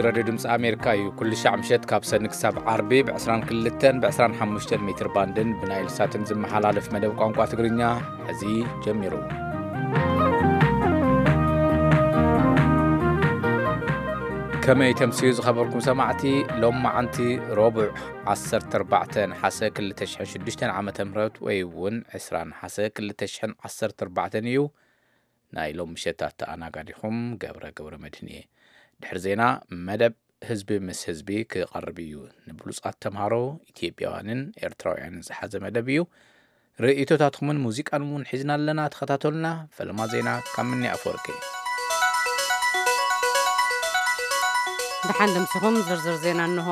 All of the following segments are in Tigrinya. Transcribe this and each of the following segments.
ራድዮ ድምፂ ኣሜሪካ እዩ። ኩሉ ሻዕ ምሸት ካብ ሰኒ ክሳብ ዓርቢ ብ22ን ብ25 ሜትር ባንድን ብናይል ሳትን ዝመሓላለፍ መደብ ቋንቋ ትግርኛ ሕዚ ጀሚሩ። ከመይ ተምስዩ ዝኸበርኩም ሰማዕቲ? ሎም መዓንቲ ረቡዕ 14 ነሓሰ 2006 ዓመተ ምህረት ወይ እውን 20 ነሓሰ 2014 እዩ። ናይ ሎም ምሸት ኣተኣናጋዲኹም ገብረ ገብረ መድህን እየ። ድሕሪ ዜና መደብ ህዝቢ ምስ ህዝቢ ክቐርብ እዩ። ንብሉጻት ተምሃሮ ኢትዮጵያውያንን ኤርትራውያንን ዝሓዘ መደብ እዩ። ርእይቶታትኩምን ሙዚቃን እውን ሒዝና ኣለና። ተኸታተሉና። ፈለማ ዜና ካብ ምኒ ኣፈወርቂ። ደሓን ደምሲኹም ዝርዝር ዜና እንሆ።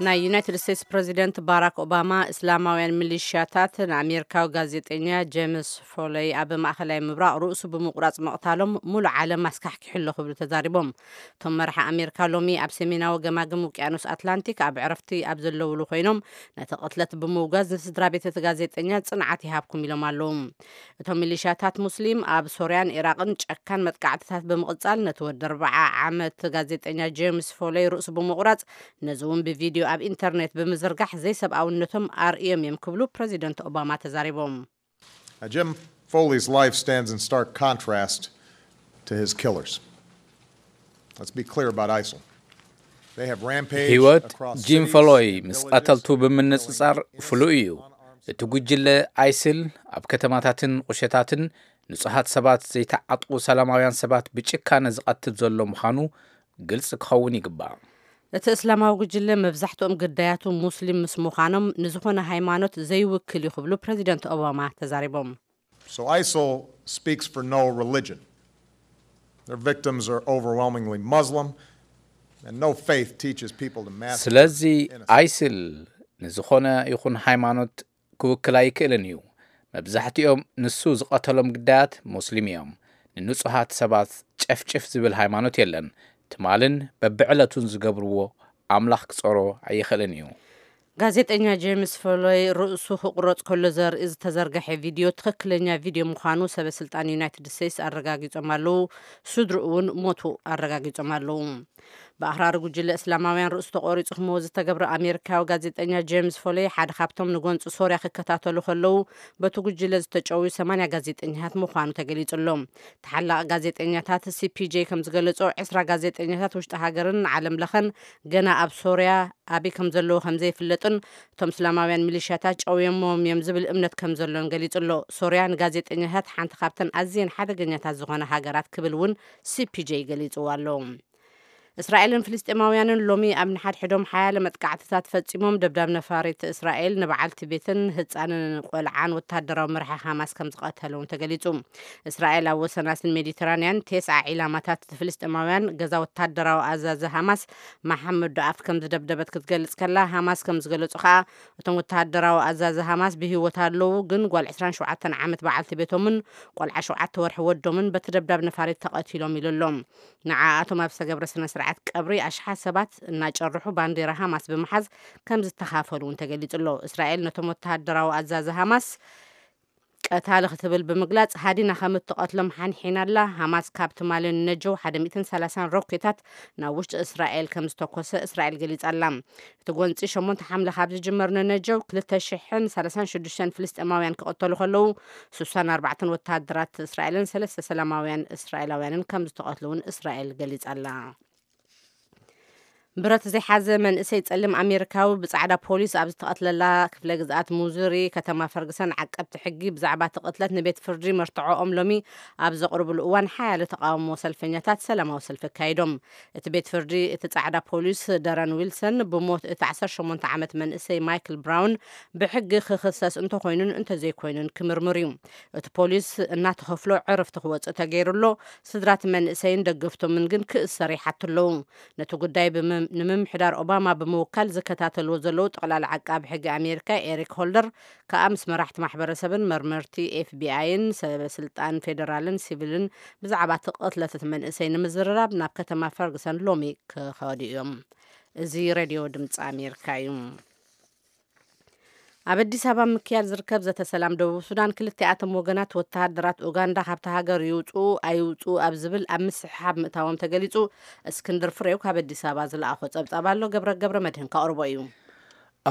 ናይ ዩናይትድ ስቴትስ ፕረዚደንት ባራክ ኦባማ እስላማውያን ሚሊሽያታት ንኣሜሪካዊ ጋዜጠኛ ጄምስ ፎለይ ኣብ ማእኸላይ ምብራቕ ርእሱ ብምቑራጽ ምቕታሎም ሙሉእ ዓለም ኣስካሕኪሑ ኣሎ ክብሉ ተዛሪቦም። እቶም መራሒ ኣሜሪካ ሎሚ ኣብ ሰሜናዊ ገማግም ውቅያኖስ ኣትላንቲክ ኣብ ዕረፍቲ ኣብ ዘለውሉ ኮይኖም ነቲ ቅትለት ብምውጋዝ ንስድራ ቤት እቲ ጋዜጠኛ ጽንዓት ይሃብኩም ኢሎም ኣለዉ። እቶም ሚሊሻታት ሙስሊም ኣብ ሶርያን ኢራቕን ጨካን መጥቃዕትታት ብምቕጻል ነቲ ወዲ ኣርብዓ ዓመት ጋዜጠኛ ጄምስ ፎለይ ርእሱ ብምቑራጽ ነዚ እውን ብቪድዮ ኣብ ኢንተርኔት ብምዝርጋሕ ዘይሰብኣውነቶም ኣርእዮም እዮም ክብሉ ፕረዚደንት ኦባማ ተዛሪቦም። Now, Jim Foley's life stands in stark contrast to his killers. Let's be clear about ISIL. They have rampaged ህይወት across ጂም cities ፎሎይ and ምስ villages, ቀተልቱ ብምንጽጻር killing ፍሉይ እዩ። innocent on እቲ ጉጅለ ኣይስል ኣብ ከተማታትን ቁሸታትን ንጹሃት ሰባት ዘይተዓጥቑ ሰላማውያን ሰባት ብጭካነ ዝቐትል ዘሎ ምዃኑ ግልጺ ክኸውን ይግባእ። እቲ እስላማዊ ጉጅለ መብዛሕትኦም ግዳያቱ ሙስሊም ምስ ምዃኖም ንዝኾነ ሃይማኖት ዘይውክል እዩ ክብሉ ፕረዚደንት ኦባማ ተዛሪቦም። So ISIL speaks for no religion. Their victims are overwhelmingly Muslim, and no faith teaches people to massacre ስለዚ innocent. ኣይስል ንዝኾነ ይኹን ሃይማኖት ክውክል ኣይክእልን እዩ። መብዛሕትኦም ንሱ ዝቐተሎም ግዳያት ሙስሊም እዮም። ንንጹሃት ሰባት ጨፍጭፍ ዝብል ሃይማኖት የለን። ትማልን በብዕለቱን ዝገብርዎ ኣምላኽ ክጾሮ ኣይኽእልን እዩ። ጋዜጠኛ ጄምስ ፎሎይ ርእሱ ክቑረጽ ከሎ ዘርኢ ዝተዘርገሐ ቪድዮ ትኽክለኛ ቪድዮ ምዃኑ ሰበ ስልጣን ዩናይትድ ስቴትስ ኣረጋጊጾም ኣለዉ። ስድርኡ እውን ሞቱ ኣረጋጊጾም ኣለዉ። ብኣኽራሪ ጉጅለ እስላማውያን ርእሱ ተቖሪጹ ክመውት ዝተገብረ ኣሜሪካዊ ጋዜጠኛ ጄምስ ፎሎይ ሓደ ካብቶም ንጎንፂ ሶርያ ክከታተሉ ከለዉ በቲ ጉጅለ ዝተጨውዩ ሰማንያ ጋዜጠኛታት ምዃኑ ተገሊጹ ኣሎ። ተሓላቒ ጋዜጠኛታት ሲፒጄ ከም ዝገለጾ ዕስራ ጋዜጠኛታት ውሽጢ ሃገርን ዓለም ለኸን ገና ኣብ ሶርያ ኣበይ ከም ዘለዉ ከም ዘይፍለጥን እቶም እስላማውያን ሚሊሽያታት ጨውዮሞም እዮም ዝብል እምነት ከም ዘሎን ገሊጹ ኣሎ። ሶርያ ንጋዜጠኛታት ሓንቲ ካብተን ኣዝየን ሓደገኛታት ዝኾነ ሃገራት ክብል እውን ሲፒጄ ገሊጽዎ ኣሎ። እስራኤልን ፍልስጤማውያንን ሎሚ ኣብ ንሓድሕዶም ሓያለ መጥቃዕትታት ፈጺሞም ደብዳብ ነፋሪት እስራኤል ንበዓልቲ ቤትን ህጻንን ቆልዓን ወታደራዊ መራሒ ሃማስ ከም ዝቐተሉ እውን ተገሊጹ። እስራኤል ኣብ ወሰናስን ሜዲተራንያን ቴስዓ ዒላማታት ፍልስጤማውያን ገዛ ወታደራዊ ኣዛዚ ሃማስ መሓመድ ዶኣፍ ከም ዝደብደበት ክትገልጽ ከላ ሃማስ ከም ዝገለጹ ከኣ እቶም ወታደራዊ ኣዛዚ ሃማስ ብህይወት ኣለዉ፣ ግን ጓል ዕስራን ሸውዓተን ዓመት በዓልቲ ቤቶምን ቆልዓ ሸውዓተ ወርሒ ወዶምን በቲ ደብዳብ ነፋሪት ተቐቲሎም ኢሉ ኣሎ። ንዓኣቶም ኣብ ዝተገብረ ስነ ስርዓት ቀብሪ ኣሽሓት ሰባት እናጨርሑ ባንዴራ ሃማስ ብምሓዝ ከም ዝተኻፈሉ እውን ተገሊጹ ኣሎ። እስራኤል ነቶም ወተሃደራዊ ኣዛዚ ሃማስ ቀታሊ ክትብል ብምግላጽ ሃዲና ከም እትቐትሎም ሓንሒና ኣላ። ሃማስ ካብ ትማሊ ንነጀው ሓደ ሚእትን ሰላሳን ሮኬታት ናብ ውሽጢ እስራኤል ከም ዝተኮሰ እስራኤል ገሊጻ ኣላ። እቲ ጎንጺ ሸሞንተ ሓምለ ካብ ዝጅመር ንነጀው ክልተ ሽሕን ሰላሳን ሽዱሽተን ፍልስጤማውያን ክቐተሉ ከለዉ ስሳን ኣርባዕተን ወተሃደራት እስራኤልን ሰለስተ ሰላማውያን እስራኤላውያንን ከም ዝተቐትሉ እውን እስራኤል ገሊጻ ኣላ። ብረት ዘይሓዘ መንእሰይ ጸሊም ኣሜሪካዊ ብጻዕዳ ፖሊስ ኣብ ዝተቐትለላ ክፍለ ግዝኣት ሙዙሪ ከተማ ፈርግሰን ዓቀብቲ ሕጊ ብዛዕባ እቲ ቅትለት ንቤት ፍርዲ መርትዖኦም ሎሚ ኣብ ዘቕርብሉ እዋን ሓያለ ተቃውሞ ሰልፈኛታት ሰላማዊ ሰልፊ ኣካይዶም። እቲ ቤት ፍርዲ እቲ ጻዕዳ ፖሊስ ደረን ዊልሰን ብሞት እቲ ዓሰርተ ሸሞንተ ዓመት መንእሰይ ማይክል ብራውን ብሕጊ ክኽሰስ እንተኾይኑን እንተዘይኮይኑን ክምርምር እዩ። እቲ ፖሊስ እናተኸፍሎ ዕርፍቲ ክወፅእ ተገይሩ ኣሎ። ስድራት መንእሰይን ደገፍቶምን ግን ክእሰር ይሓቱ ኣለዉ። ነቲ ጉዳይ ብምም- ንምምሕዳር ኦባማ ብምውካል ዝከታተልዎ ዘለዉ ጠቕላሊ ዓቃቢ ሕጊ ኣሜሪካ ኤሪክ ሆልደር ከኣ ምስ መራሕቲ ማሕበረሰብን መርመርቲ ኤፍቢኣይን ሰበ ስልጣን ፌደራልን ሲቪልን ብዛዕባ እቲ ቅትለት እቲ መንእሰይ ንምዝርራብ ናብ ከተማ ፈርግሰን ሎሚ ክኸዱ እዮም። እዚ ሬድዮ ድምፂ ኣሜሪካ እዩ። ኣብ ኣዲስ ኣበባ ምክያድ ዝርከብ ዘተ ሰላም ደቡብ ሱዳን፣ ክልቲኣቶም ወገናት ወተሃደራት ኡጋንዳ ካብቲ ሃገር ይውፅኡ ኣይውፅኡ ኣብ ዝብል ኣብ ምስሕሓብ ምእታዎም ተገሊፁ። እስክንድር ፍሬው ካብ ኣዲስ ኣበባ ዝለኣኾ ፀብፃብ ኣሎ። ገብረ ገብረ መድህን ከቕርቦ እዩ።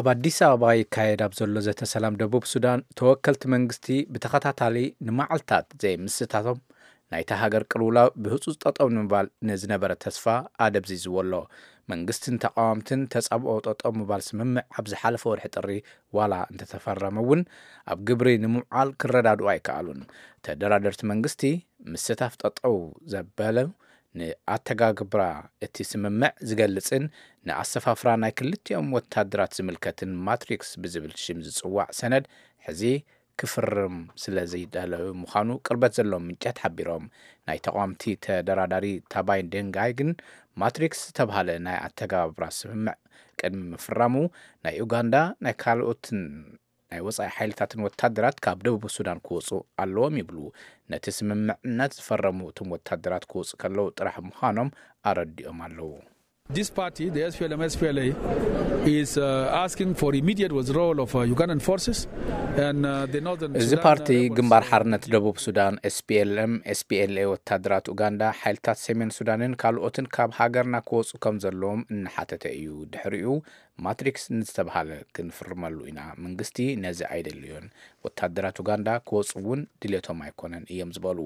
ኣብ ኣዲስ ኣበባ ይካየድ ኣብ ዘሎ ዘተ ሰላም ደቡብ ሱዳን፣ ተወከልቲ መንግስቲ ብተኸታታሊ ንመዓልታት ዘይምስታቶም፣ ናይታ ሃገር ቅልውላው ብህጹጽ ጠጠው ንምባል ንዝነበረ ተስፋ ኣደብዚዝዎ ኣሎ። መንግስትን ተቓወምትን ተጻብኦ ጠጠው ምባል ስምምዕ ኣብ ዝሓለፈ ወርሒ ጥሪ ዋላ እንተተፈረመ እውን፣ ኣብ ግብሪ ንምውዓል ክረዳድኡ ኣይከኣሉን። ተደራደርቲ መንግስቲ ምስታፍ ጠጠው ዘበለ ንኣተጋግብራ እቲ ስምምዕ ዝገልጽን ንኣሰፋፍራ ናይ ክልቲኦም ወታደራት ዝምልከትን ማትሪክስ ብዝብል ሽም ዝጽዋዕ ሰነድ ሕዚ ክፍርም ስለ ዘይዳለወ ምዃኑ ቅርበት ዘለዎም ምንጫት ሓቢሮም። ናይ ተቓወምቲ ተደራዳሪ ታባይ ደንጋይ ግን፣ ማትሪክስ ዝተባህለ ናይ ኣተጋባብራ ስምምዕ ቅድሚ ምፍራሙ ናይ ኡጋንዳ ናይ ካልኦትን ናይ ወጻኢ ሓይልታትን ወታደራት ካብ ደቡብ ሱዳን ክወጹ ኣለዎም ይብሉ። ነቲ ስምምዕነት ዝፈረሙ እቶም ወታደራት ክወጹ ከለዉ ጥራሕ ምዃኖም ኣረዲኦም ኣለዉ። This party, the S P L M S P L A, is uh, asking for immediate withdrawal of uh, Ugandan forces and uh, the northern እዚ Sudan, ፓርቲ uh, rebels. ግንባር ሓርነት ደቡብ ሱዳን S P L M S P L A ወታደራት ኡጋንዳ፣ ሓይልታት ሰሜን ሱዳንን ካልኦትን ካብ ሃገርና ክወፁ ከም ዘለዎም እናሓተተ እዩ። ድሕሪኡ ማትሪክስ ንዝተባሃለ ክንፍርመሉ ኢና፣ መንግስቲ ነዚ ኣይደልዮን፣ ወታደራት ኡጋንዳ ክወፁ እውን ድሌቶም ኣይኮነን እዮም ዝበሉ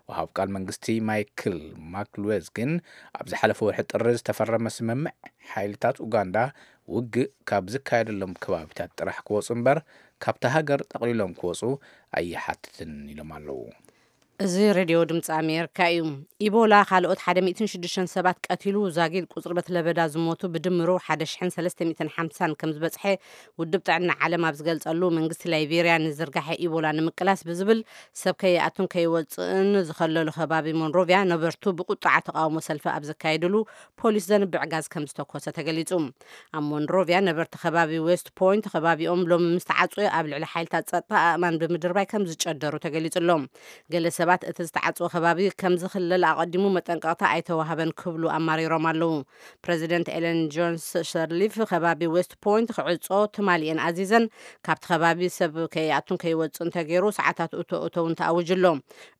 ወሃብ ቃል መንግስቲ ማይክል ማክሉዌዝ ግን፣ ኣብ ዝሓለፈ ወርሒ ጥሪ ዝተፈረመ ስምምዕ ሓይልታት ኡጋንዳ ውግእ ካብ ዝካየደሎም ከባቢታት ጥራሕ ክወፁ እምበር፣ ካብታ ሃገር ጠቕሊሎም ክወፁ ኣይሓትትን ኢሎም ኣለዉ። እዚ ሬድዮ ድምፂ ኣሜሪካ እዩ። ኢቦላ ካልኦት ሓደ ሚእትን ሽዱሽተን ሰባት ቀቲሉ፣ ዛጊድ ቁፅሪ በቲ ለበዳ ዝሞቱ ብድምሩ ሓደ ሽሕን ሰለስተ ሚእትን ሓምሳን ከም ዝበፅሐ ውድብ ጥዕና ዓለም ኣብ ዝገልፀሉ፣ መንግስቲ ላይቤርያ ንዝርጋሐ ኢቦላ ንምቅላስ ብዝብል ሰብ ከይኣቱን ከይወፅእን ዝኸለሉ ከባቢ ሞንሮቪያ ነበርቱ ብቁጥዓ ተቃውሞ ሰልፊ ኣብ ዘካየድሉ ፖሊስ ዘንብዕ ጋዝ ከም ዝተኮሰ ተገሊጹ። ኣብ ሞንሮቪያ ነበርቲ ከባቢ ዌስት ፖይንት ከባቢኦም ሎሚ ምስ ተዓጽወ፣ ኣብ ልዕሊ ሓይልታት ጸጥታ ኣእማን ብምድርባይ ከም ዝጨደሩ ተገሊጹ ኣሎ። ገለ ሰባት እቲ ዝተዓጽወ ከባቢ ከም ዝኽለል ኣቐዲሙ መጠንቀቕታ ኣይተዋህበን ክብሉ ኣማሪሮም ኣለዉ። ፕረዚደንት ኤለን ጆንስ ሰርሊፍ ከባቢ ዌስት ፖይንት ክዕጾ ትማሊ እየን ኣዚዘን። ካብቲ ከባቢ ሰብ ከይኣቱን ከይወጽእን ተገይሩ፣ ሰዓታት እቶ እተውን ተኣዊጁ ኣሎ።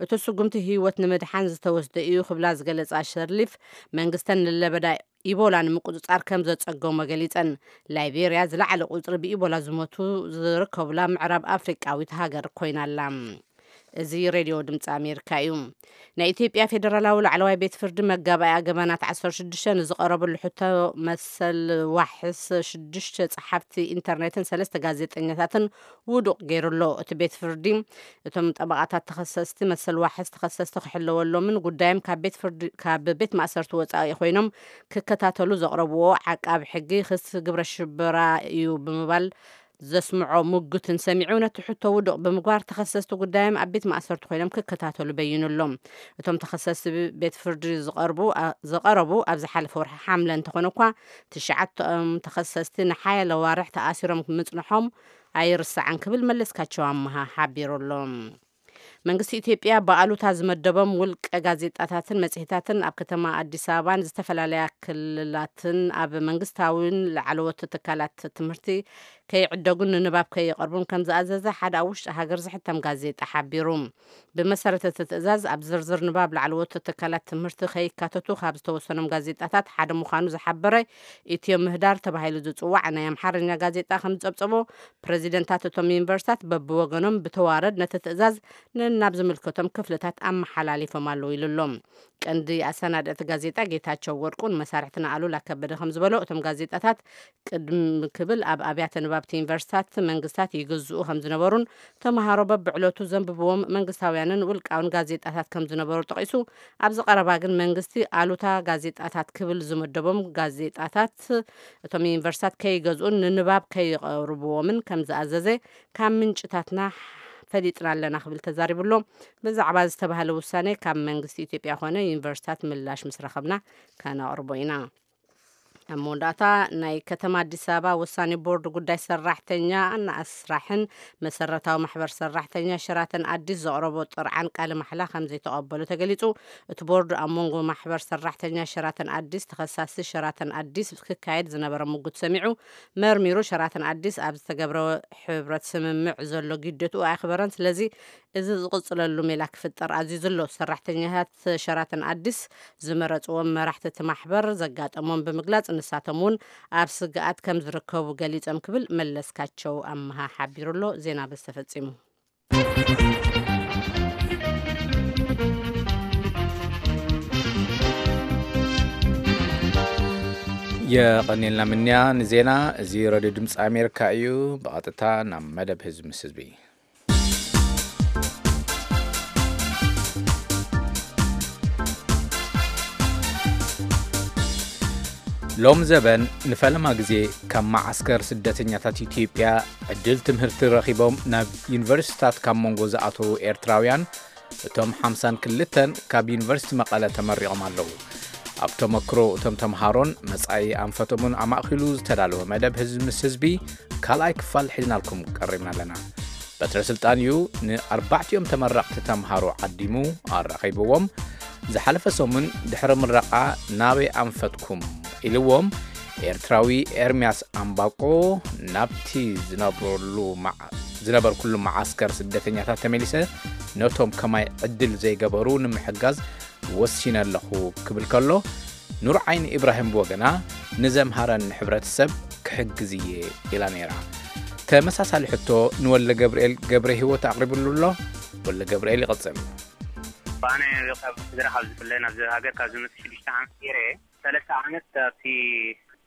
እቲ ስጉምቲ ህይወት ንምድሓን ዝተወስደ እዩ ክብላ ዝገለጻ ሸርሊፍ፣ መንግስተን ንለበዳ ኢቦላ ንምቁጽጻር ከም ዘጸገሞ ገሊጸን። ላይቤርያ ዝለዓለ ቁጽሪ ብኢቦላ ዝሞቱ ዝርከቡላ ምዕራብ ኣፍሪቃዊት ሃገር ኮይና ኣላ። እዚ ሬድዮ ድምፂ ኣሜሪካ እዩ። ናይ ኢትዮጵያ ፌደራላዊ ላዕለዋይ ቤት ፍርዲ መጋባእያ ገበናት ዓሰርተ ሽዱሽተ ንዝቐረበሉ ሕቶ መሰል ዋሕስ ሽዱሽተ ጸሓፍቲ ኢንተርኔትን ሰለስተ ጋዜጠኛታትን ውዱቕ ገይሩ ኣሎ። እቲ ቤት ፍርዲ እቶም ጠበቓታት ተኸሰስቲ መሰል ዋሕስ ተኸሰስቲ ክሕለወሎምን ጉዳዮም ካብ ቤት ፍርዲ፣ ካብ ቤት ማእሰርቲ ወጻኢ ኮይኖም ክከታተሉ ዘቕረብዎ ዓቃቢ ሕጊ ክስ ግብረ ሽበራ እዩ ብምባል ዘስምዖ ሙግትን ሰሚዑ፣ ነቲ ሕቶ ውዱቕ ብምግባር ተኸሰስቲ ጉዳዮም ኣብ ቤት ማእሰርቲ ኮይኖም ክከታተሉ በይኑ ኣሎ። እቶም ተኸሰስቲ ቤት ፍርዲ ዝቐርቡ፣ ኣ-፣ ዝቐረቡ ኣብ ዝሓለፈ ወርሒ ሓምለ እንተኾነ እኳ፣ ትሽዓቶም ተኸሰስቲ ንሓያለ ዋርሕ ተኣሲሮም ምጽንሖም ኣይርሳዕን ክብል መለስካቸው ኣመሃ ሓቢሩ ኣሎ። መንግስቲ ኢትዮጵያ ብኣሉታ ዝመደቦም ውልቀ ጋዜጣታትን መጽሔታትን ኣብ ከተማ ኣዲስ ኣበባን ዝተፈላለያ ክልላትን ኣብ መንግስታዊን ላዕለዎት ትካላት ትምህርቲ ከይዕደጉን ንንባብ ከይቐርቡን ከም ዝኣዘዘ ሓደ ኣብ ውሽጢ ሃገር ዝሕተም ጋዜጣ ሓቢሩ። ብመሰረት እቲ ትእዛዝ፣ ኣብ ዝርዝር ንባብ ላዕለዎት ትካላት ትምህርቲ ከይካተቱ ካብ ዝተወሰኖም ጋዜጣታት ሓደ ምዃኑ ዝሓበረ ኢትዮ ምህዳር ተባሂሉ ዝጽዋዕ ናይ ኣምሓርኛ ጋዜጣ ከም ዝጸብጸቦ፣ ፕረዚደንታት እቶም ዩኒቨርሲታት በብወገኖም ብተዋረድ ነቲ ትእዛዝ ነናብ ዝምልከቶም ክፍልታት ኣመሓላሊፎም ኣለዉ ኢሉ ኣሎ። ቀንዲ ኣሰናዳእቲ ጋዜጣ ጌታቸው ወርቁ ንመሳርሕትና ኣሉላ ከበደ ከም ዝበሎ፣ እቶም ጋዜጣታት ቅድም ክብል ኣብ ኣብያተ ንባብቲ ዩኒቨርሲታት መንግስታት ይግዝኡ ከም ዝነበሩን፣ ተምሃሮ በብዕለቱ ዘንብብዎም መንግስታውያንን ውልቃውን ጋዜጣታት ከም ዝነበሩ ጠቒሱ፣ ኣብዚ ቀረባ ግን መንግስቲ ኣሉታ ጋዜጣታት ክብል ዝመደቦም ጋዜጣታት እቶም ዩኒቨርሲታት ከይገዝኡን ንንባብ ከይቐርብዎምን ከም ዝኣዘዘ ካብ ምንጭታትና ፈሊጥና ኣለና ክብል ተዛሪቡ ኣሎ። ብዛዕባ ዝተባህለ ውሳኔ ካብ መንግስቲ ኢትዮጵያ ኮነ ዩኒቨርሲታት ምላሽ ምስ ረኸብና ከነቕርቦ ኢና። ኣብ መወዳእታ፣ ናይ ከተማ ኣዲስ ኣበባ ውሳኔ ቦርድ ጉዳይ ሰራሕተኛ፣ ኣስራሕን መሰረታዊ ማሕበር ሰራሕተኛ ሸራተን ኣዲስ ዘቕረቦ ጥርዓን ቃለ ማሕላ ከም ዘይተቐበሎ ተገሊጹ። እቲ ቦርድ ኣብ መንጎ ማሕበር ሰራሕተኛ ሸራተን ኣዲስ ተኸሳሲ ሸራተን ኣዲስ ክካየድ ዝነበረ ምጉት ሰሚዑ መርሚሩ፣ ሸራተን ኣዲስ ኣብ ዝተገብረ ሕብረት ስምምዕ ዘሎ ግዴትኡ ኣየኽበረን። ስለዚ እዚ ዝቕጽለሉ ሜላ ክፍጠር ኣዚዙ ኣሎ። ሰራሕተኛታት ሸራተን ኣዲስ ዝመረጽዎም መራሕቲ እቲ ማሕበር ዘጋጠሞም ብምግላጽ፣ ንሳቶም እውን ኣብ ስግኣት ከም ዝርከቡ ገሊጾም ክብል መለስካቸው ኣመሃ ሓቢሩ ኣሎ። ዜና በዚ ተፈጺሙ። የቐኔልና ምንያ ንዜና። እዚ ሬድዮ ድምፂ ኣሜሪካ እዩ። ብቐጥታ ናብ መደብ ህዝቢ ምስ ህዝቢ። ሎም ዘበን ንፈለማ ግዜ ካብ መዓስከር ስደተኛታት ኢትዮጵያ ዕድል ትምህርቲ ረኺቦም ናብ ዩኒቨርሲቲታት ካብ መንጎ ዝኣተዉ ኤርትራውያን፣ እቶም ሓምሳን ክልተን ካብ ዩኒቨርሲቲ መቐለ ተመሪቖም ኣለዉ። ኣብ ተመክሮ እቶም ተምሃሮን መጻኢ ኣንፈቶምን ኣማእኪሉ ዝተዳለወ መደብ ህዝቢ ምስ ህዝቢ ካልኣይ ክፋል ሒዝናልኩም ቀሪብና ኣለና። በትረ ስልጣን እዩ ንኣርባዕቲኦም ተመረቕቲ ተምሃሮ ዓዲሙ ኣራኺብዎም። ዝሓለፈ ሰሙን ድሕሪ ምረቓ ናበይ ኣንፈትኩም ኢልዎም። ኤርትራዊ ኤርምያስ ኣምባቆ፣ ናብቲ ዝነብረሉ መዓ-፣ ዝነበርኩሉ መዓስከር ስደተኛታት ተመሊሰ ነቶም ከማይ ዕድል ዘይገበሩ ንምሕጋዝ ወሲነ ኣለኹ ክብል ከሎ፣ ኑር ዓይኒ ኢብራሂም ብወገና፣ ንዘምሃረኒ ሕብረተሰብ ክሕግዝ እየ ኢላ ነይራ። ተመሳሳሊ ሕቶ ንወልደ ገብርኤል ገብረ ህይወት ኣቕሪብሉ ኣሎ። ወልደ ገብርኤል ይቐጽል። ኣነ ካብ ስድራ ካብ ዝፍለ ናብዚ ሃገር ካብ ዝመጽእ ሽዱሽተ ዓመት ገይረ፣ ሰለስተ ዓመት ኣብቲ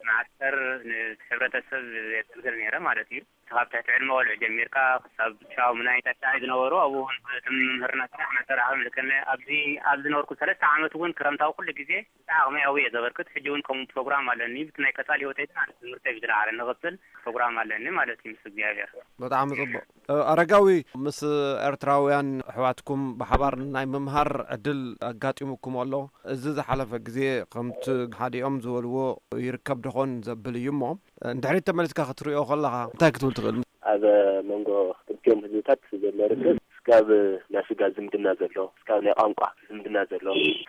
መዓስከር ንሕብረተሰብ የገልግል ነይረ ማለት እዩ። ካብ ትሕቲ ዕድመ ቆልዑ ጀሚርካ ክሳብ ሻው ምናይ ታሽዓይ ዝነበሩ ኣብኡ እውን እቲ ምምህርና ስራሕ መሰራሕም ልክነ ኣብዚ ኣብ ዝነበርኩ ሰለስተ ዓመት እውን ክረምታዊ ኩሉ ግዜ እቲ ዓቕመይ ኣብኡ እየ ዘበርክት። ሕጂ እውን ከምኡ ፕሮግራም ኣለኒ። ብቲ ናይ ቀጻሊ ህይወተይ ግን ኣነ ትምህርተይ ብዝለዓለ ንቕጽል ፕሮግራም ኣለኒ ማለት እዩ ምስ እግዚኣብሔር። ብጣዕሚ ጽቡቕ። እ፣ ኣረጋዊ፣ ምስ ኤርትራውያን ኣሕዋትኩም ብሓባር ናይ ምምሃር ዕድል ኣጋጢሙኩም ኣሎ? እዚ ዝሓለፈ ግዜ ከምቲ ሓዲኦም ዝበልዎ ይርከብ ደኾን ዘብል እዩ እሞ፣ እንድሕሪት ተመሊስካ ክትሪኦ ከለኻ እንታይ ክትብል ትኽእል? ኣብ መንጎ ክልቲኦም ህዝብታት ዘሎ ርክብ እስካብ ናይ ስጋ ዝምድና ዘሎ፣ እስካብ ናይ ቋንቋ ዝምድና ዘሎ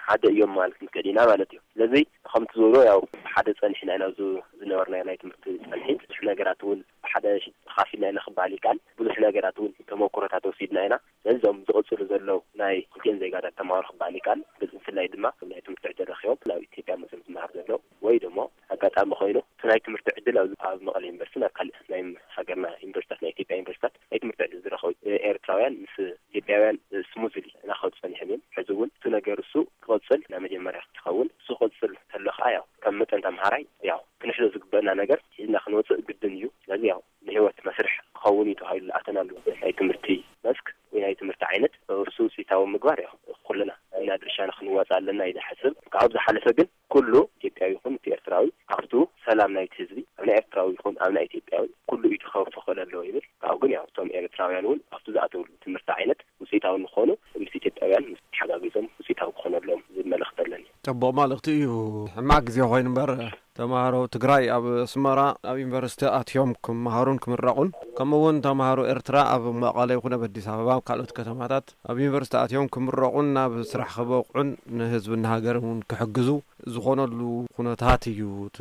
ሓደ እዮም ማለት ንክእል ኢና ማለት እዩ። ስለዚ ከምቲ ዝበሎ ያው ሓደ ጸኒሕና ኢና ኣብዚ ዝነበርና ናይ ትምህርቲ ጸንሒት ብዙሕ ነገራት እውን ሓደ ተኻፊልና ኢና ክበሃል ይከኣል። ብዙሕ ነገራት እውን ተመኩሮታት ወሲድና ኢና። ስለዚ እዞም ዝቕጽሉ ዘለዉ ናይ ክልቲኦም ዜጋታት ተማሃሮ ክበሃል ይከኣል። ብፍላይ ድማ ናይ ትምህርቲ ዕድል ረኺቦም ናብ ኢትዮጵያ መጽኦም ዝመሃር ዘለዉ ወይ ደሞ ኣጋጣሚ ኮይኑ እቲ ናይ ትምህርቲ ዕድል ኣብ ኣብ መቐለ ዩኒቨርሲቲን ኣብ ካልእ ናይ ሃገርና ዩኒቨርሲታት ናይ ኢትዮጵያ ዩኒቨርሲታት ናይ ትምህርቲ ዕድል ዝረኸቡ ኤርትራውያን ምስ ኢትዮጵያውያን ስሙዝሊ እናኸዱ ጸኒሖም እዮም። ሕዚ እውን እቲ ነገር እሱ ክቕጽል ናይ መጀመርያ ክትኸውን እሱ ክቕጽል ከሎ ከዓ ያው ከም መጠን ተምሃራይ ያው ክንሕዞ ዝግበአና ነገር ሒዝና ክንወፅእ ግድን እዩ። ስለዚ ያው ንህይወት መስርሕ ክኸውን እዩ ተባሂሉ ዝኣተናሉ ናይ ትምህርቲ መስክ ወይ ናይ ትምህርቲ ዓይነት እሱ ውፅኢታዊ ምግባር ያው ኩልና ኢና ድርሻና ክንዋፅእ ኣለና ኢለ ሓስብ። ካብኡ ዝሓለፈ ግን ኩሉ ኢትዮጵያዊ ይኹን እቲ ኤርትራዊ ኣብቱ ሰላም ናይቲ ህዝቢ ኣብ ናይ ኤርትራዊ ይኹን ኣብ ናይ ኢትዮጵያዊ ኩሉ እዩ ተኸፍኸል ኣለዎ ይብል። ካብኡ ግን ያው እቶም ኤርትራውያን እውን ኣብቱ ዝኣተውሉ ትምህርቲ ዓይነት ውፅኢታዊ ንኾኑ ምስ ኢትዮጵያውያን ምስ ተሓጋጊዞም ውፅኢታዊ ክኾነሎም ዝብል መልእኽቲ ኣለኒ። ጽቡቕ መልእኽቲ እዩ። ሕማቕ ግዜ ኮይኑ እምበር ተምሃሮ ትግራይ ኣብ ኣስመራ ኣብ ዩኒቨርሲቲ ኣትዮም ክመሃሩን ክምረቑን ከምኡ እውን ተምሃሮ ኤርትራ ኣብ መቐለ ይኹን ኣብ ኣዲስ ኣበባ ኣብ ካልኦት ከተማታት ኣብ ዩኒቨርሲቲ ኣትዮም ክምረቑን ናብ ስራሕ ክበቕዑን ንህዝብን ሃገርን እውን ክሕግዙ ዝኾነሉ ኩነታት እዩ እቲ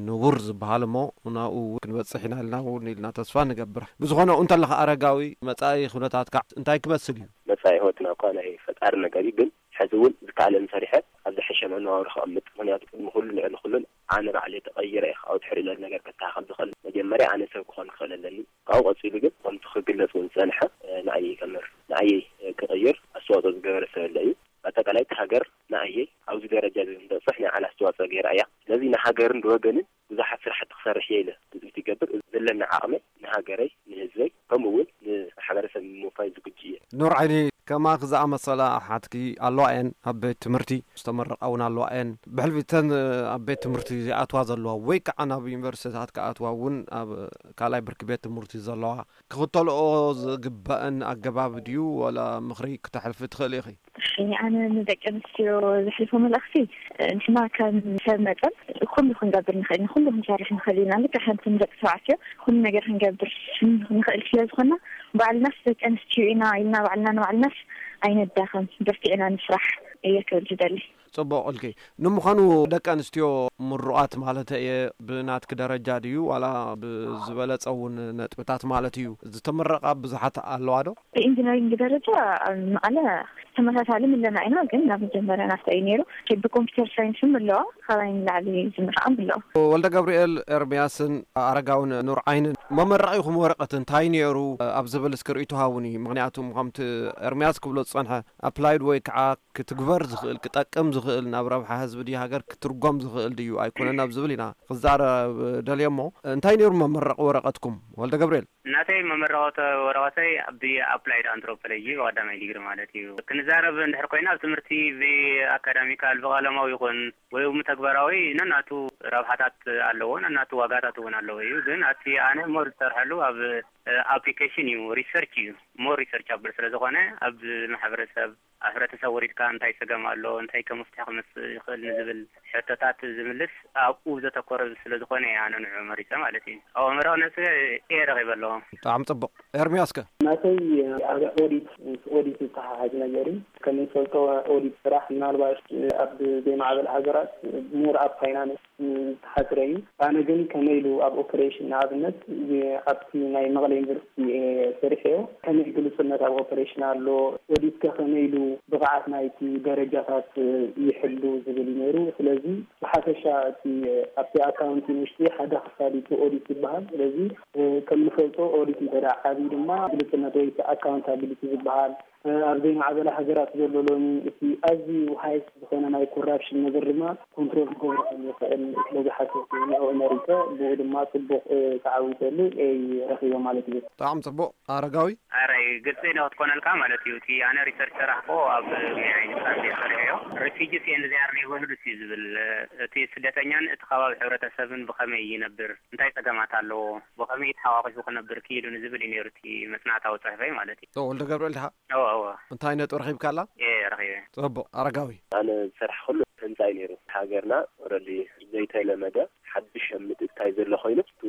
ንቡር ዝበሃል እሞ ናብኡ ክንበጽሕ ኢና ኢልና እውን ኢልና ተስፋ ንገብር። ብዝኾነ እንተለኻ ኣረጋዊ መጻኢ ኩነታትካ እንታይ ክመስል እዩ? መጻኢ ህይወትና እኳ ናይ ፈጣሪ ነገር እዩ፣ ግን ሕዚ እውን ዝከኣለን ሰሪሐ ኣብ ዝሐሸ መነባብሮ ክቕምጥ። ምኽንያቱ ቅድሚ ኩሉ ልዕሊ ኩሉን ኣነ ባዕለይ ተቐይረ እየ ካብኡ ድሕሪ ዘሎ ነገር ከስተኻኸል ዝኽእል። መጀመርያ ኣነ ሰብ ክኾን ክኽእል ኣለኒ። ካብኡ ቀጺሉ ግን ከምቲ ክግለጽ እውን ዝጸንሐ ንኣየይ ከምህር ንኣየይ ክቕይር ኣስተዋፅኦ ዝገበረ ሰብ የለ እዩ። ኣጠቃላይ እቲ ሃገር ንኣየይ ኣብዚ ደረጃ እዚ ንክንበፅሕ ናይ ዓላ ኣስተዋፅኦ ገይራ እያ። ስለዚ ንሃገርን ንወገንን ብዙሓት ስራሕቲ ክሰርሕ እየ ኢለ ትፅቢት ይገብር። ዘለኒ ዓቕመይ ንሃገረይ ንህዝበይ ከምኡ እውን ንማሕበረሰብ ንምውፋይ ዝግጁ እየ። ኑር ዓይኒ፣ ከማኺ ዝኣመሰላ ኣሓትኪ ኣለዋ እየን ኣብ ቤት ትምህርቲ ዝተመረቓ እውን ኣለዋ እየን። ብሕልፊ እተን ኣብ ቤት ትምህርቲ ዝኣትዋ ዘለዋ ወይ ከዓ ናብ ዩኒቨርሲቲታት ክኣትዋ እውን ኣብ ካልኣይ ብርኪ ቤት ትምህርቲ ዘለዋ ክኽተልኦ ዝግበአን ኣገባብ ድዩ ዋላ ምኽሪ ክተሕልፊ ትኽእሊ ኢኺ? እሺ፣ ኣነ ንደቂ ኣንስትዮ ዘሕልፎ መልእኽቲ፣ ንሕና ከም ሰብ መጠን ኩሉ ክንገብር ንኽእል ኢና፣ ኩሉ ክንሰርሕ ንኽእል ኢና። ልክዕ ከምቲ ንደቂ ተባዕትዮ ኩሉ ነገር ክንገብር ንኽእል ስለ ዝኾንና፣ ባዕልናስ ደቂ ኣንስትዮ ኢና ኢልና ባዕልና ንባዕልናስ ኣይንዳኸም፣ በርቲዕና ንስራሕ እየ ክብል ዝደሊ። ጽቡቕ ኢልኪ። ንምዃኑ ደቂ ኣንስትዮ ምሩቓት ማለት እየ፣ ብናትኪ ደረጃ ድዩ ዋላ ብዝበለጸ እውን ነጥብታት ማለት እዩ፣ ዝተመረቓ ብዙሓት ኣለዋ ዶ? ብኢንጂነሪንግ ደረጃ ኣብ መቐለ ተመሳሳሊ ምለና ኢና፣ ግን ናብ መጀመርያ ናተይ እዩ ነይሩ። ብኮምፒውተር ሳይንስም ኣለዋ፣ ካባይ ንላዕሊ ዝምረቓም ኣለዋ። ወልደ ገብርኤል ኤርምያስን ኣረጋውን ኑር ዓይንን መመረቒኹም ወረቐት እንታይ ነይሩ ኣብ ዝብል እስኪ ርእይቶ ሃቡኒ። ምኽንያቱም ከምቲ ኤርምያስ ክብሎ ዝጸንሐ ኣፕላይድ ወይ ከዓ ክትግበር ዝኽእል፣ ክጠቅም ዝኽእል፣ ናብ ረብሓ ህዝቢ ድዩ ሃገር ክትርጎም ዝኽእል ድዩ ኣይኮነን ኣብ ዝብል ኢና ክዛረብ ደልየ። እሞ እንታይ ነይሩ መመረቒ ወረቐትኩም ወልደ ገብርኤል? እናተይ መመረቐተ ወረቐተይ ብኣፕላይድ ኣንትሮፖሎጂ ብቐዳማይ ዲግሪ ማለት እዩ። ክንዛረብ እንድሕር ኮይና ኣብ ትምህርቲ ብኣካዳሚካል ብቐለማዊ ይኹን ወይ እውን ተግባራዊ ነናቱ ረብሓታት ኣለዎ፣ ነናቱ ዋጋታት እውን ኣለዎ እዩ። ግን ኣቲ ኣነ ሞር ዝሰርሐሉ ኣብ ኣፕሊኬሽን እዩ፣ ሪሰርች እዩ። ሞር ሪሰርች ኣብል ስለ ዝኾነ ኣብ ማሕበረሰብ ኣብ ሕብረተሰብ ወሪድካ እንታይ ጸገም ኣሎ፣ እንታይ ከም መፍትሒ ክመጽእ ይኽእል ንዝብል ሕቶታት ዝምልስ ኣብኡ ዘተኮረ ስለ ዝኾነ እየ ኣነ ንዕኡ መሪጸ ማለት እዩ። ኣብ ኣመራዊ ነጽ ኤ ረኺበ ኣለዎ። ብጣዕሚ ጽቡቕ። ኤርሚያስከ? ናተይ ኣብ ኦዲት፣ ምስ ኦዲት ዝተሓሓዝ ነገር እዩ። ከም እንፈልጦ ኦዲት ስራሕ ምናልባት ኣብ ዘይማዕበል ሃገራት ሞር ኣብ ፋይናንስ ዝተሓጽረ እዩ። ኣነ ግን ከመይ ኢሉ ኣብ ኦፐሬሽን ንኣብነት ኣብቲ ናይ መቐለ ዩኒቨርሲቲ እየ ሰሪሐዮ። ከመይ ግሉጽነት ኣብ ኦፐሬሽን ኣሎ፣ ኦዲትከ ከመይ ኢሉ ብቕዓት ናይቲ ደረጃታት ይሕሉ ዝብል እዩ ነይሩ። ስለዚ ብሓፈሻ እቲ ኣብቲ ኣካውንቲንግ ውሽጢ ሓደ ክፋል እቲ ኦዲት ዝበሃል። ስለዚ ከም ንፈልጦ ኦዲት እንተ ደኣ ዓብዩ ድማ ግሉጽነት ወይ ኣካውንታቢሊቲ ዝበሃል ኣብ ዘይማዕበላ ሃገራት ዘሎ ሎሚ እቲ ኣዝዩ ሃይስት ዝኾነ ናይ ኮራፕሽን ነገር ድማ ኮንትሮል ክገብሮ ከም ዝኽእል ስለ ዝሓሰብኩ ንዕኡ መሪጸ፣ ብኡ ድማ ጽቡቕ ተዓዊተሉ እየ ረኺበ ማለት እዩ። ብጣዕሚ ጽቡቕ ኣረጋዊ። ኣራይ ግልጺ ኢለ ክትኮነልካ ማለት እዩ። እቲ ኣነ ሪሰርች ሰራሕኮ ኣብ ናይ ዓይኒ ብጣዕሚ ሰሪሐዮ። ሪፊጂስ ኤንድ ዚኣር ኔበርሁድስ እዩ ዝብል፣ እቲ ስደተኛን እቲ ከባቢ ሕብረተሰብን ብኸመይ ይነብር፣ እንታይ ጸገማት ኣለዎ፣ ብኸመይ ተሓቋቒፉ ክነብር ክኢሉ ንዝብል እዩ ነይሩ እቲ መጽናዕታዊ ጽሑፈይ ማለት እዩ። ኦ፣ ወልደ ገብርኤል ድኻ? እወ፣ እወ። እንታይ ነጥቢ ረኺብካላ? እየ ረኺበ። ጽቡቕ። ኣረጋዊ? ኣነ ዝሰራሕኩሉ ህንጻ እዩ ነይሩ። ሃገርና ኦረዲ ዘይተለመደ ሓድሽ ኣብ ምትእትታይ ዘሎ ኮይኑ፣ እቲ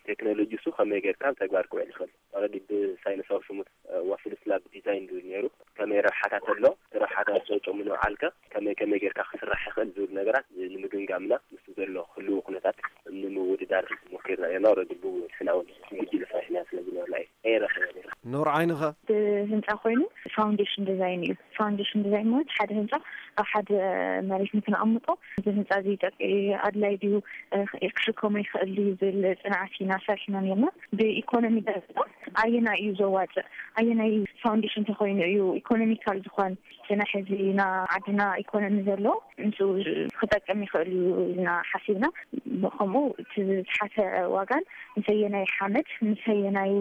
ቴክኖሎጂ እሱ ከመይ ጌርካ ኣብ ተግባር ክውዕል ይኽእል? ኦረዲ ብሳይንሳዊ ሽሙ ዋፍል ስላብ ዲዛይን ዝብል ነይሩ። ከመይ ረብሓታት ኣሎ፣ እቲ ረብሓታት ጨጨሙ ንብዓልከ ከመይ ከመይ ጌርካ ክስራሕ ይኽእል ዝብል ነገራት ንምግምጋምና ምስ ዘሎ ህልው ኩነታት ንምውድዳር ሞኪርና ነርና። ኦረዲ ብኡ ንሕና እውን ብጉጅለ ሰሪሕና ስለ ዝነበርና እዩ። ኤረ ኸ ነይራ። ኑር ዓይንኸ? ብህንፃ ኮይኑ ፋውንዴሽን ዲዛይን እዩ። ፋውንዴሽን ዲዛይን ማለት ሓደ ህንፃ ኣብ ሓደ መሬት ንክነቐምጦ እዚ ህንፃ እዚ ጠቅ-፣ ኣድላይ ድዩ፣ እ፣ ክሽከሞ ይኽእል ድዩ ዝብል ፅንዓት ኢና ሰሪሕና ነርና። ብኢኮኖሚ ደረጃ ኣየናይ እዩ ዘዋፅእ፣ ኣየናይ ፋውንዴሽን ተኮይኑ እዩ ኢኮኖሚካል ዝኾን፣ ስነ ሕዚ ና ዓድና ኢኮኖሚ ዘሎ ምስኡ ክጠቅም ይኽእል እዩ ኢልና ሓሲብና። ከምኡ እቲ ዝተሓተ ዋጋን ምሰየናይ ሓመድ ምሰየናይ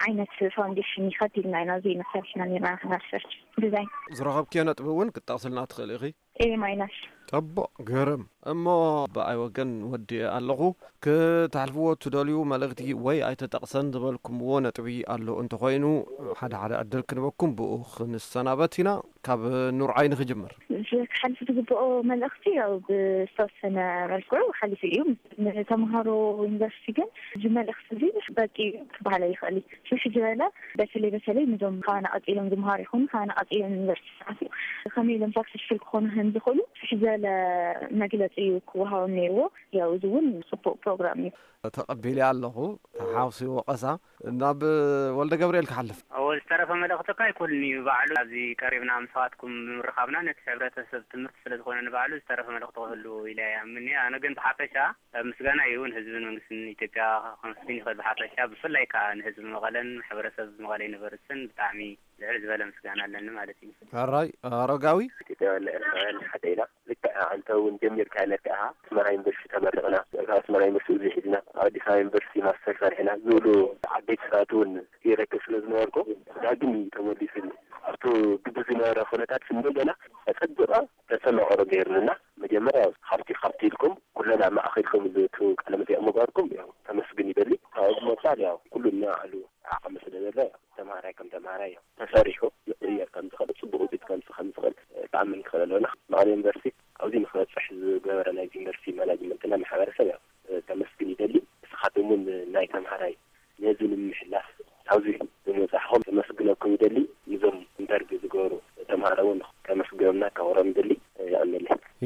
ዓይነት ፋውንዴሽን ይኸድ ኢልና ኢና እዚ መሰርሕና ነርና ሪሰርች ዲዛይን። ዝረኸብክዮ ነጥቢ እውን ክትጠቕስልና ትኽእል ኢኺ? ኤ ማይናስ። ጠቦ ገረም። እሞ ብኣይ ወገን ወዲኤ ኣለኹ። ክተሕልፍዎ ትደልዩ መልእኽቲ ወይ ኣይተጠቕሰን ዝበልኩምዎ ነጥቢ ኣሎ እንተኾይኑ፣ ሓደ ሓደ ዕድል ክንበኩም ብኡ ክንሰናበት ኢና። ካብ ኑር ዓይኒ ክጅምር። እዚ ክሓልፍ ዝግብኦ መልእኽቲ ያው ብዝተወሰነ መልክዑ ሓሊፉ እዩ። ንተምሃሮ ዩኒቨርሲቲ ግን እዚ መልእኽቲ እዚ በቂ እዩ ክበሃል ኣይኽእል እዩ። ስልሒ ዝበለ በተለይ በተለይ ንዞም ካባና ቀፂሎም ዝምሃሩ ይኹኑ ካባና ቀፂሎም ዩኒቨርሲቲ ዝኣትዉ ከመይ ኢሎም ሳክሰስፉል ክኾኑ ከም ዝኽእሉ ስልሒ ዝበለ መግለፂ እዩ ክወሃቦም ነይርዎ። ያው እዚ እውን ፅቡቕ ፕሮግራም እዩ። ተቐቢለ ኣለኹ። ተሓውሲ ወቐሳ ናብ ወልደ ገብርኤል ክሓልፍ። እዎ፣ ዝተረፈ መልእኽቲ እኳ ኣይኮንን እዩ ባዕሉ። ኣብዚ ቀሪብና ምስኻትኩም ብምርኻብና ነቲ ሕብረተሰብ ትምህርቲ ስለ ዝኾነ ንባዕሉ ዝተረፈ መልእኽቲ ክህሉ ኢለ ይኣምን እየ። ኣነ ግን ብሓፈሻ ምስጋና እዩ ንህዝብን መንግስትን ኢትዮጵያ ከመስግን ይኽእል ብሓፈሻ፣ ብፍላይ ከዓ ንህዝቢ መቐለን ማሕበረሰብ መቐለ ዩኒቨርሲቲን ብጣዕሚ ልዕል ዝበለ ምስጋና ኣለኒ ማለት እዩ። ሕራይ ኣረጋዊ። ኢትዮጵያውያን ኤርትራውያን ሓደ ኢና። ልክዕ ኣንተ እውን ጀሚርካ ነካ ኢኻ። ኣስመራ ዩኒቨርሲቲ ተመሪቕና፣ ካብ ኣስመራ ዩኒቨርሲቲ እዚ ሒዝና፣ ኣብ ኣዲስ ኣበባ ዩኒቨርሲቲ ማስተር ሰሪሕና ዝብሉ ዓበይቲ ሰባት እውን ይረክብ ስለ ዝነበርኩ፣ ዳግም እዩ ተመሊሱኒ። ኣብቲ ግዲ ዝነበረ ኩነታት ስኒ ገና ኣጸቢቐ ተሰማቕሮ ገይሩንና፣ መጀመርያ ካብቲ ካብቲ ኢልኩም ኩለን ኣብ ማእኸልኩም ዝእቱ ቃለ መጠይቕ ምግባርኩም ያው ተመስግን ይደሊ። ካብኡ ብምቕጻል ያው ኩሉ ንባዕሉ ዓቕሚ ስለ ዘሎ ያው ተምሃራይ ከም ተምሃራይ ያው ተሰሪሑ ይቕየር ከም ዝኽእል፣ ጽቡቕ ውፅኢት ከምጽእ ከም ዝኽእል፣ እ፣ ተኣምን ንኽእል ኣለና። መቐለ ዩኒቨርሲቲ ኣብዚ ንክበፅሕ ዝገበረ ናይዚ ዩኒቨርሲቲ ማናጅመንትና ማሕበረሰብ ያው ከመስግን ይደሊ። ንስኻትም እውን ናይ ተምሃራይ ነዚ ንምሕላፍ ኣብዚ ብምብፃሕኹም ከመስግነኩም ይደሊ። ንዞም ኢንተርቪው ዝገበሩ ተምሃሮ እውን ከመስግኖምና ከኽብሮም ይደሊ።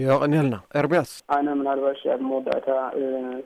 ይቐንየልና። ኤርምያስ። ኣነ ምናልባሽ ኣብ መወዳእታ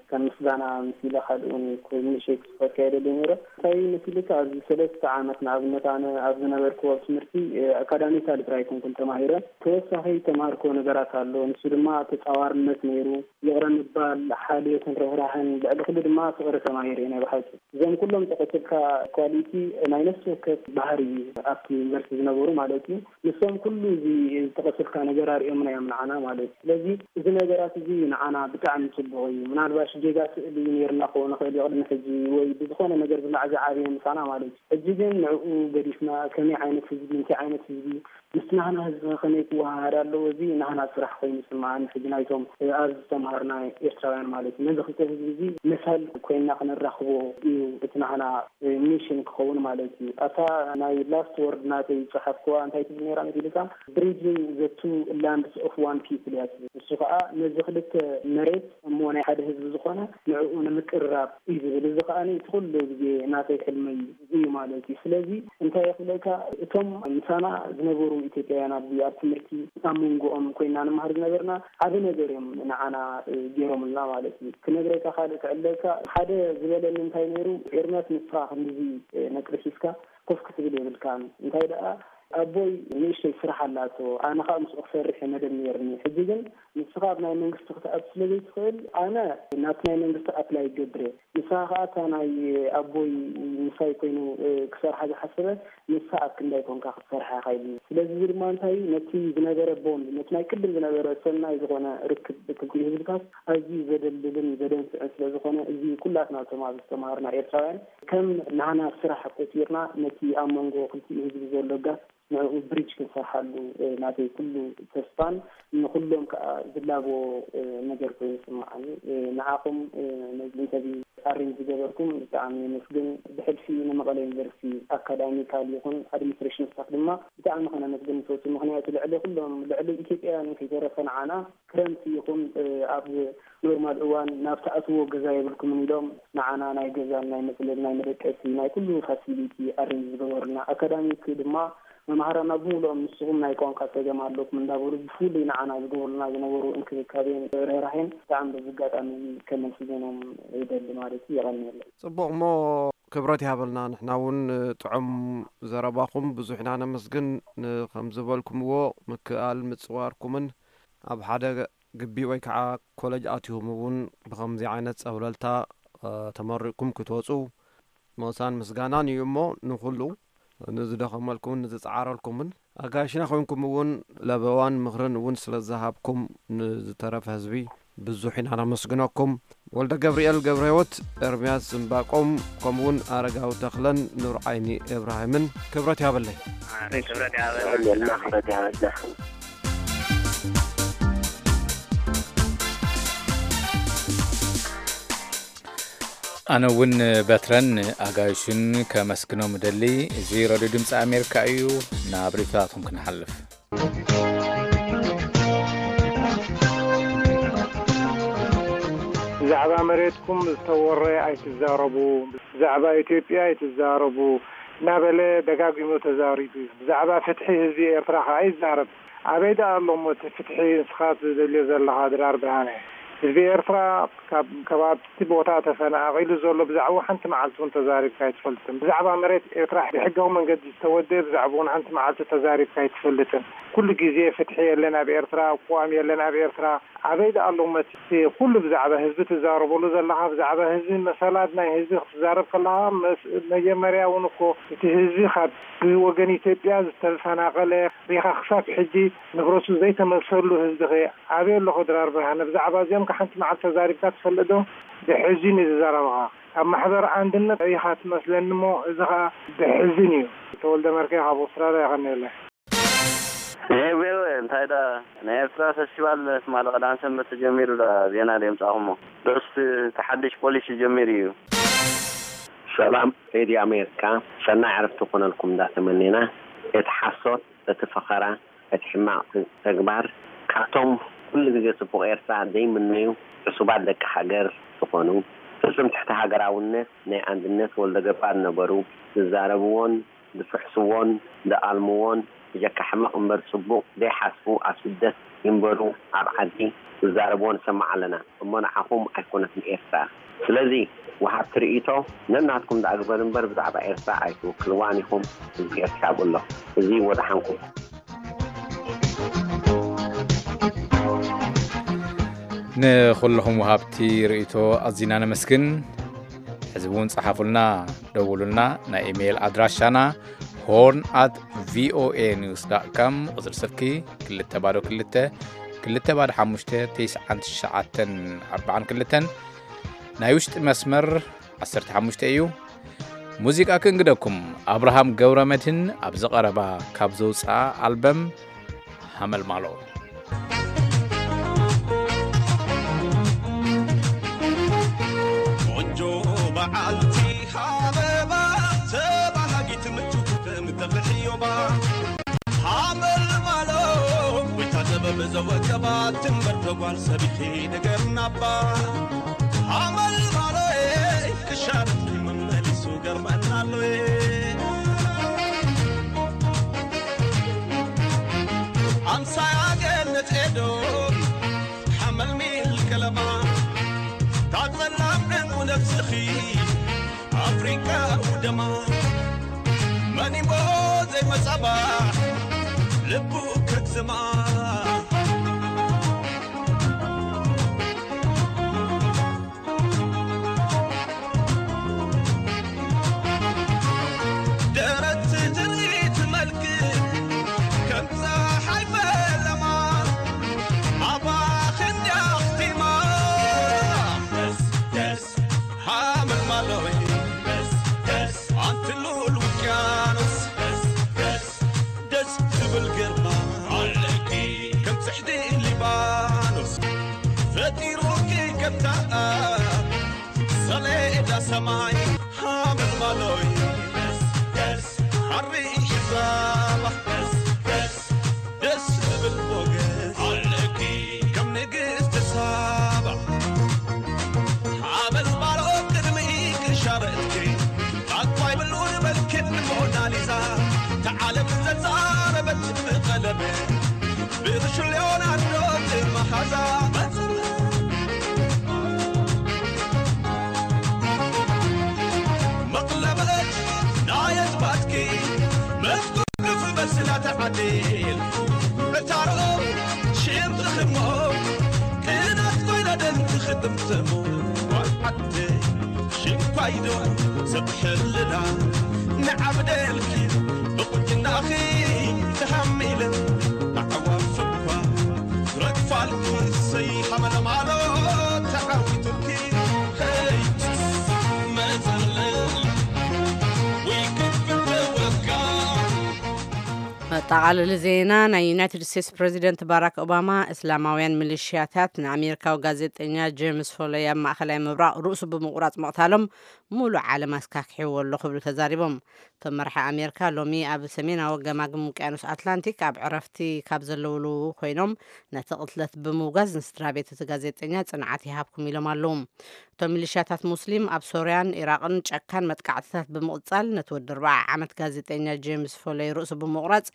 ከም ምስጋና ምስ ኢለ ካልእ እውን ኮይኑ ንእሽተይ ክጽሕፈካ ይደሊ ነይረ። እንታይ ምስ ኢልካ ኣብዚ ሰለስተ ዓመት ንኣብነት ኣነ ኣብ ዝነበርክዎ ትምህርቲ ኣካዳሚካሊ ጥራይ ኣይኮንኩን ተማሂረ። ተወሳኺ ተማሃርክዎ ነገራት ኣሎ። ንሱ ድማ ተጻዋርነት ነይሩ። ይቕረ ምባል፣ ሓልዮትን ርህራህን፣ ልዕሊ ኩሉ ድማ ፍቕሪ ተማሂረ ናይ ብሓቂ። እዞም ኩሎም ጠቐስልካ ኳሊቲ ናይ ነፍሲ ወከፍ ባህሪ እዩ ኣብቲ ዩኒቨርሲቲ ዝነበሩ ማለት እዩ። ንሶም ኩሉ እዚ ዝጠቐስልካ ነገር ኣርእዮምና እዮም ንዓና ማለት እዩ። ስለዚ እዚ ነገራት እዚ ንዓና ብጣዕሚ ጽቡቕ እዩ። ምናልባሽ ጌጋ ስእሊ ነይርና ክኸውን ንኽእል እዩ ቅድሚ ሕጂ ወይ ብዝኾነ ነገር ዝላዕ ዝዓበየ ምሳና ማለት እዩ። ሕጂ ግን ንዕኡ ገዲፍና ከመይ ዓይነት ህዝቢ፣ እንታይ ዓይነት ህዝቢ፣ ምስ ናህና ህዝቢ ከመይ ክወሃሃድ ኣለዎ? እዚ ናህና ስራሕ ኮይኑ ይስምዓኒ። ሕጂ ናይቶም ኣብዚ ዝተምሃርና ኤርትራውያን ማለት እዩ። ነዚ ክልተ ህዝቢ እዚ መሰል ኮይና ክነራኽቦ እዩ እቲ ናህና ሚሽን ክኸውን ማለት እዩ። ኣታ ናይ ላስት ወርድ ናተይ ዝጸሓፍክዋ እንታይ ትብል ነይራ መሲልካ? Bridging the two lands of one people እያ ትብል። ንሱ ከኣ ነዚ ክልተ መሬት እሞ ናይ ሓደ ህዝቢ ዝኾነ ንዕኡ ንምቅርራብ እዩ ዝብል። እዚ ከኣ እቲ ኩሉ ግዜ ናተይ ሕልመይ እዩ ማለት እዩ። ስለዚ እንታይ ይኽለካ፣ እቶም ምሳና ዝነበሩ ኢትዮጵያውያን ኣብዚ ኣብ ትምህርቲ ኣብ መንጎኦም ኮይና ንመሃር ዝነበርና ዓቢ ነገር እዮም ንዓና፣ እ፣ ገይሮምልና ማለት እዩ። ክነግረካ ካልእ ክዕለካ ሓደ ዝበለኒ እንታይ ነይሩ፣ ኤርምያስ ንስኻ ክንድዚ፣ እ፣ ነጥሪ ሒዝካ ኮፍ ክትብል የብልካን። እንታይ ደኣ ኣቦይ ንእሽተይ ስራሕ ኣላቶ፣ ኣነ ኸኣ ምስኡ ክሰርሕ እየ መደብ ነይርኒ። ሕጂ ግን ንስኻ ኣብ ናይ መንግስቲ ክትኣቱ ስለ ዘይትኽእል፣ ኣነ ናብቲ ናይ መንግስቲ ኣፕላይ ይገብር እየ። ንስኻ ኸኣ እታ ናይ ኣቦይ ምሳይ ኮይኑ፣ እ፣ ክሰርሓ ዝሓሰበ ንሳ ኣብ ክንዳይ ኮንካ ክትሰርሓ ኢኻ ኢሉኒ። ስለዚ እዚ ድማ እንታይ እዩ? ነቲ ዝነበረ ቦንድ፣ ነቲ ናይ ቅድም ዝነበረ ሰናይ ዝኾነ ርክብ ክልቲኡ ህዝብታት ኣዝዩ ዘደልድልን ዘደንፍዕን ስለ ዝኾነ፣ እዚ ኩላትና እቶም ኣብዚ ዝተማሃርና ኤርትራውያን ከም ናህና ስራሕ ቆጺርና ነቲ ኣብ መንጎ ክልቲኡ ህዝቢ ዘሎ ጋፕ ንዕኡ ብሪጅ ክንሰርሓሉ፣ እ፣ ናተይ ኩሉ ተስፋን ንኹሎም ከኣ ዝላቦ፣ እ፣ ነገር ኮይኑ ይስምዓኒ። እ፣ ንዓኹም፣ እ፣ ነዚ ኢንተርቪው ኣሬንጅ ዝገበርኩም ብጣዕሚ የመስግን። ብሕልፊ ንመቐለ ዩኒቨርሲቲ ኣካዳሚካል ይኹን ኣድሚኒስትሬሽን ስታፍ ድማ ብጣዕሚ ከነመስግን ንፈቱ። ምኽንያቱ ልዕሊ ኩሎም፣ ልዕሊ ኢትዮጵያውያን ከይተረፈ ንዓና ክረምቲ ይኹን፣ እ፣ ኣብ ኖርማል እዋን ናብ ትኣትዎ ገዛ የብልኩምን ኢሎም ንዓና ናይ ገዛን ናይ መጽለሊ ናይ መደቀሲ ናይ ኩሉ ፋሲሊቲ ኣሬንጅ ዝገበሩልና። ኣካዳሚክ ድማ መምሃራና ብምሉኦም ንስኹም ናይ ቋንቋ ጸገም ኣለኩም እንዳበሉ ብፍሉይ ንዓና ዝገብሩልና ዝነበሩ እንክብካቤን ርህራሄን ብጣዕሚ በዚ ኣጋጣሚ ከመስግኖም ይደሊ ማለት እዩ። የቐንየለይ። ጽቡቕ እሞ ክብረት ይሃበልና። ንሕና እውን ጥዑም ዘረባኹም ብዙሕ ኢና ነመስግን። ን-፣ ከም ዝበልኩምዎ ምክኣል ምጽዋርኩምን ኣብ ሓደ ግቢ ወይ ከዓ ኮለጅ ኣትዮም እውን ብኸምዚ ዓይነት ጸብለልታ፣ እ፣ ተመሪቕኩም ክትወጹ ሞሳን ምስጋናን እዩ እሞ ንኹሉ ንዝደኸመልኩምን ንዝጸዓረልኩምን ኣጋይሽና ኮይንኩም እውን ለበዋን ምኽርን እውን ስለ ዝሃብኩም ንዝተረፈ ህዝቢ ብዙሕ ኢና ነመስግነኩም። ወልደ ገብርኤል ገብረ ህይወት፣ ኤርምያስ ዝምባቆም፣ ከምኡውን ኣረጋዊ ተኽለን ኑር ዓይኒ እብራሂምን ክብረት ያበለይ። ክብረት ያበለና። ክብረት ያበለና። ኣነ እውን በትረን ኣጋይሹን ከመስግኖም እደሊ። እዚ ሬድዮ ድምፂ ኣሜሪካ እዩ። ናብ ሪፖርታትኩም ክንሓልፍ። ብዛዕባ መሬትኩም ዝተወረ ኣይትዛረቡ፣ ብዛዕባ ኢትዮጵያ ኣይትዛረቡ እናበለ ደጋጊሙ ተዛሪቡ እዩ። ብዛዕባ ፍትሒ ህዝቢ ኤርትራ ከኣ ይዛረብ። ኣበይ ደኣ ኣሎ እሞ እቲ ፍትሒ ንስኻ ትደልዮ ዘለኻ ድራር ብርሃነ? ህዝቢ ኤርትራ ካብ ከባቢ እቲ ቦታ ተፈናቒሉ ዘሎ ብዛዕባ ሓንቲ መዓልቲ እውን ተዛሪብካ ኣይትፈልጥን። ብዛዕባ መሬት ኤርትራ ብሕጋዊ መንገዲ ዝተወደበ ብዛዕባ እውን ሓንቲ መዓልቲ ተዛሪብካ ኣይትፈልጥን። ኩሉ ግዜ ፍትሒ የለን ኣብ ኤርትራ፣ ቅዋም የለን ኣብ ኤርትራ። ኣበይ ደኣ ኣሎ እሞ እቲ ኩሉ ብዛዕባ ህዝቢ ትዛረበሉ ዘለኻ? ብዛዕባ ህዝቢ፣ መሰላት ናይ ህዝቢ ክትዛረብ ከለኻ መስ-፣ መጀመርያ እውን እኮ እቲ ህዝቢ ካብ ብወገን ኢትዮጵያ ዝተፈናቐለ ሪኻ ክሳብ ሕጂ ንብረቱ ዘይተመልሰሉ ህዝቢ ኸ ኣበይ ኣሎ? ድራር ብርሃነ፣ ብዛዕባ እዚኦም ከ ሓንቲ መዓልቲ ተዛሪብካ ትፈልጥ ዶ? ብሕዚ ንዝዘረብኻ ካብ ማሕበር ኣንድነት ኢኻ ትመስለኒ እሞ፣ እዚ ኸኣ ብሕዝን እዩ። ተወልደ መርከ ካብ ኣውስትራልያ። የቐንየለይ። እ፣ ዌል፣ ዌል፣ እንታይ ደኣ፣ ናይ ኤርትራ ፈስቲቫል ትማሊ ቀዳም ሰንበት ተጀሚሩ ደኣ ዜና ደየምጻኹሞ። ዶስ እቲ ሓድሽ ፖሊሲ ጀሚሩ እዩ። ሰላም ሬድዮ ኣሜሪካ፣ ሰናይ ዕረፍቲ ኮነልኩም እንዳተመኔና፣ እቲ ሓሶት፣ እቲ ፈኸራ፣ እቲ ሕማቕ ተግባር ካብቶም ኩሉ ግዜ ጽቡቕ ኤርትራ ዘይምነዩ ዕሱባት ደቂ ሃገር ዝኾኑ፣ ፍጹም ትሕቲ ሃገራውነት ናይ ኣንድነት ወልደገባር ነበሩ። ዝዛረብዎን ዝፍሕስዎን ዝኣልምዎን ብጀካ ሕማቕ እምበር ጽቡቕ ዘይሓስቡ ኣብ ስደት ይንበሩ ኣብ ዓዲ ዝዛረብዎ ንሰምዕ ኣለና። እሞ ንዓኹም ኣይኮነትን ኤርትራ። ስለዚ ወሃብቲ ርእይቶ ነናትኩም ደኣ ግበር እምበር ብዛዕባ ኤርትራ ኣይትውክልዋን ኢኹም። እዚ ኤርትራ ብሎ እዚ ወድሓንኩም። ንኹልኹም ወሃብቲ ርእይቶ ኣዚና ነመስግን። ሕዚ እውን ጸሓፉልና፣ ደውሉልና። ናይ ኢሜይል ኣድራሻና ሆርን ኣት ቪኦኤ ኒውስ ዳት ካም፣ ቁጽሪ ስልኪ ክልተ ባዶ ክልተ ክልተ ባዶ ሓሙሽተ ተስዓን ትሽዓተን ኣርባዓን ክልተን፣ ናይ ውሽጢ መስመር ዓሰርተ ሓሙሽተ እዩ። ሙዚቃ ክንግደኩም፣ ኣብርሃም ገብረ መድህን ኣብዚ ቀረባ ካብ ዘውፅኣ ኣልበም ሃመልማሎ። ቆንጆ በዓልቲ ሃበባ ተባሃጊት ምቹ ከተምተፍሕዮባ ሃመልማሎ ወይታ ጥበብ ዘወቀባ ትንበር ተጓል ሰቢኺ ንገርናባ ሃመልማሎ ክሻርት መመሊሱ ገርመናሎ ኣምሳያ ገነት ኤዶ ሓመልሚል ከለማ ታጸላም ዕንቁ ነብስኺ ኣፍሪቃ ውደማ መኒሞ ዘይመጻባ ልቡ ከግዝማ ደረት ትርኢት መልክ ከም ፀሓይ ፈለማ ኣባኽ እንዲያ ኣኽቲማ ደስ ደስ ሃመልማሎይ ደስ ደስ ኣንቲ ልኡል ውቅያኖስ ደስ ደስ ደስ ትብል ግርማ ኣለኪ ከም ፅሕዲ ሊባኖስ ፈጢሩኪ ከምታ ሰሌዳ ሰማይ ሃመልማሎይ ደስ ደስ ሓሪ ዛባ ደስ ደስ ደስ ዝብል ሞገስ ኣለኪ ከም ንግስቲ ሳባ ሓበል ባልኦ ቅድሚ ክሻረትኪ ኣኳይ ብሉ ንበልክን ሞናሊዛ ተዓለም ዘዛረበት ብቐለበ ብርሽ ሊዮናርዶ መሃዛ መቕለበት ናይ ኣዝማድኪ መዝጉፍ በስላ ተዓዲል ዕታሮ ሽም ትኽሞ ቅናት ኮይና ደም ትኽድምትሞ ጓል ዓዲ ሽንኳይዶ ሰብ ሕልና ንዓብደልኪ ብቁንጅናኺ ተሃሚለ ኣዕዋፍ እኳ ረግፋልኪ ሰይ ሓመለማሎ ተዓዊቱልኪ ሄይ መዘለል ወይ ክፍል ተወጋ መጠቓለሊ ዜና። ናይ ዩናይትድ ስቴትስ ፕሬዚደንት ባራክ ኦባማ እስላማውያን ሚሊሽያታት ንኣሜሪካዊ ጋዜጠኛ ጄምስ ፎለይ ኣብ ማእኸላይ ምብራቕ ርእሱ ብምቑራፅ ምቕታሎም ሙሉእ ዓለም ኣስካክሕዎ ኣሎ ክብሉ ተዛሪቦም። እቶም መራሒ ኣሜሪካ ሎሚ ኣብ ሰሜናዊ ገማግም ውቅያኖስ ኣትላንቲክ ኣብ ዕረፍቲ ካብ ዘለውሉ ኮይኖም ነቲ ቅትለት ብምውጋዝ ንስድራ ቤት እቲ ጋዜጠኛ ፅንዓት ይሃብኩም ኢሎም ኣለዉ። እቶም ሚሊሽያታት ሙስሊም ኣብ ሶርያን ኢራቕን ጨካን መጥቃዕትታት ብምቕጻል ነቲ ወዲ ኣርብዓ ዓመት ጋዜጠኛ ጄምስ ፎለይ ርእሱ ብምቑራጽ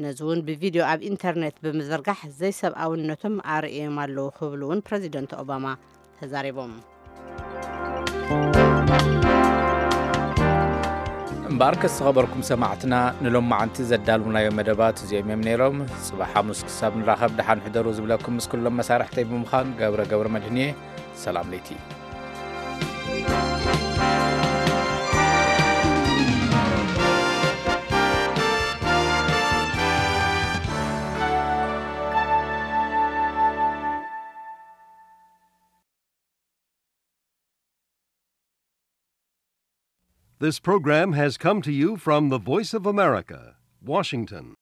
ነዚ እውን ብቪድዮ ኣብ ኢንተርኔት ብምዝርጋሕ ዘይሰብኣውነቶም ኣርእዮም ኣለዉ ክብሉ እውን ፕረዚደንት ኦባማ ተዛሪቦም። እምበኣርከስ ዝኸበርኩም ሰማዕትና ንሎማዓንቲ ዘዳልውናዮ መደባት እዚኦም እዮም ነይሮም። ጽባሕ ሓሙስ ክሳብ ንራኸብ ደሓን ሕደሩ ዝብለኩም ምስ ኩሎም መሳርሕተይ ብምዃን ገብረ ገብረ መድህንየ ሰላም ለይቲ። This program has come to you from the Voice of America, Washington.